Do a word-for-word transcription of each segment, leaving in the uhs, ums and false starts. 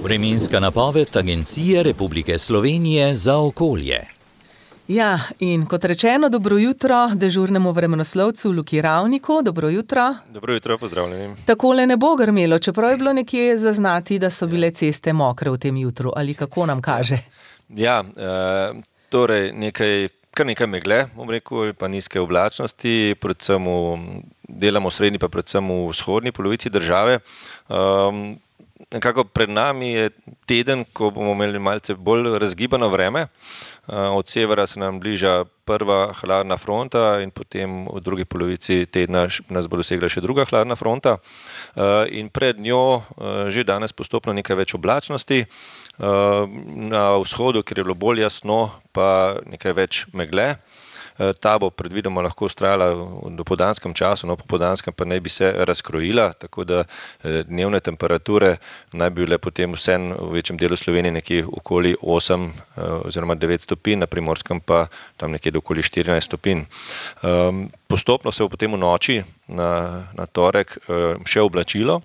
Vremenska napoved Agencije Republike Slovenije za okolje. Ja, in kot rečeno, dobro jutro dežurnemu vremenoslovcu Luki Ravniku. Dobro jutro. Dobro jutro, pozdravljeni. Takole ne bo grmelo, čeprav je bilo nekje zaznati, da so bile ceste mokre v tem jutru, ali kako nam kaže? Ja, e, torej nekaj, kar nekaj megle, bom rekel, pa nizke oblačnosti, predvsem v, delamo v srednji, pa predvsem v vzhodni polovici države. Um, Nekako pred nami je teden, ko bomo imeli malce bolj razgibano vreme. Od severa se nam bliža prva hladna fronta in potem v drugi polovici tedna nas bo dosegla še druga hladna fronta. In pred njo že danes postopno nekaj več oblačnosti. Na vzhodu, kjer je bilo bolj jasno, pa nekaj več megle. Ta bo predvidoma lahko vztrajala v dopoldanskem času, no popoldanskem pa naj bi se razkrojila, tako da dnevne temperature naj bi bile potem vsem v večjem delu Slovenije nekje okoli osem oziroma devet stopinj, na Primorskem pa tam nekje do okoli štirinajst stopinj. Postopno se bo potem v noči na, na torek še oblačilo.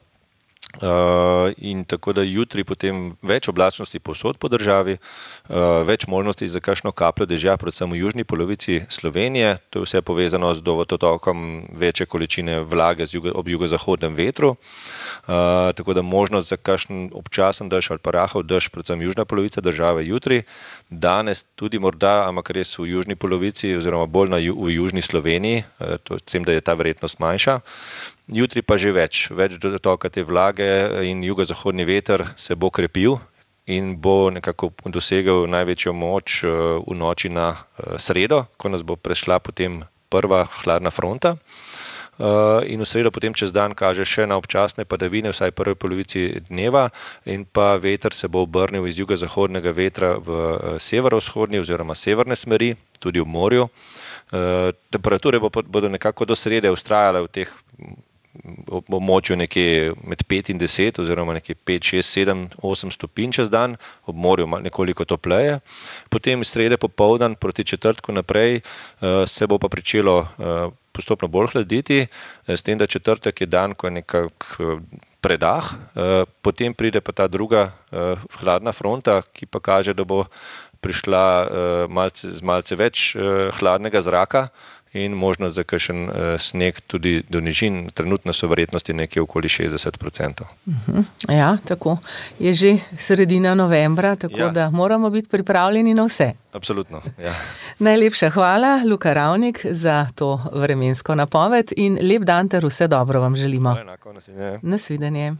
Uh, in tako da jutri potem več oblačnosti povsod po državi, uh, več možnosti za kakšno kapljo dežja, predvsem v južni polovici Slovenije. To je vse povezano z dotokom večje količine vlage z jugo, ob jugozahodnem vetru. Uh, tako da možnost za kakšen občasen dež ali pa rahel dež, predvsem južna polovica države jutri. Danes tudi morda, ampak res v južni polovici oziroma bolj na ju, v južni Sloveniji, uh, to s tem, da je ta verjetnost manjša. Jutri pa že več, več dotoka te vlage in jugozahodni veter se bo krepil in bo nekako dosegel največjo moč v noči na sredo, ko nas bo prešla potem prva hladna fronta. In v sredo potem čez dan kaže še na občasne padavine, vsaj v prvi polovici dneva, in pa veter se bo obrnil iz jugozahodnega vetra v severovzhodni oziroma severne smeri, tudi v morju. Temperature bodo nekako do srede vztrajale v teh območju nekje med pet in deset oziroma nekje pet, šest, sedem, osem stopinj čez dan, ob morju nekoliko topleje. Potem srede popoldan proti četrtku naprej se bo pa pričelo postopno bolj hladiti, s tem, da četrtek je dan, ko je nekak predah, potem pride pa ta druga hladna fronta, ki pa kaže, da bo prišla malce, z malce več hladnega zraka in možnost za kakšen sneg tudi do nižin. Trenutno so verjetnosti nekje okoli šestdeset procentov. Uh-huh. Ja, tako. Je že sredina novembra, tako ja. Da moramo biti pripravljeni na vse. Absolutno, ja. Najlepša hvala, Luka Ravnik, za to vremensko napoved in lep dan ter vse dobro vam želimo. Enako, nasvidenje. Nasvidenje.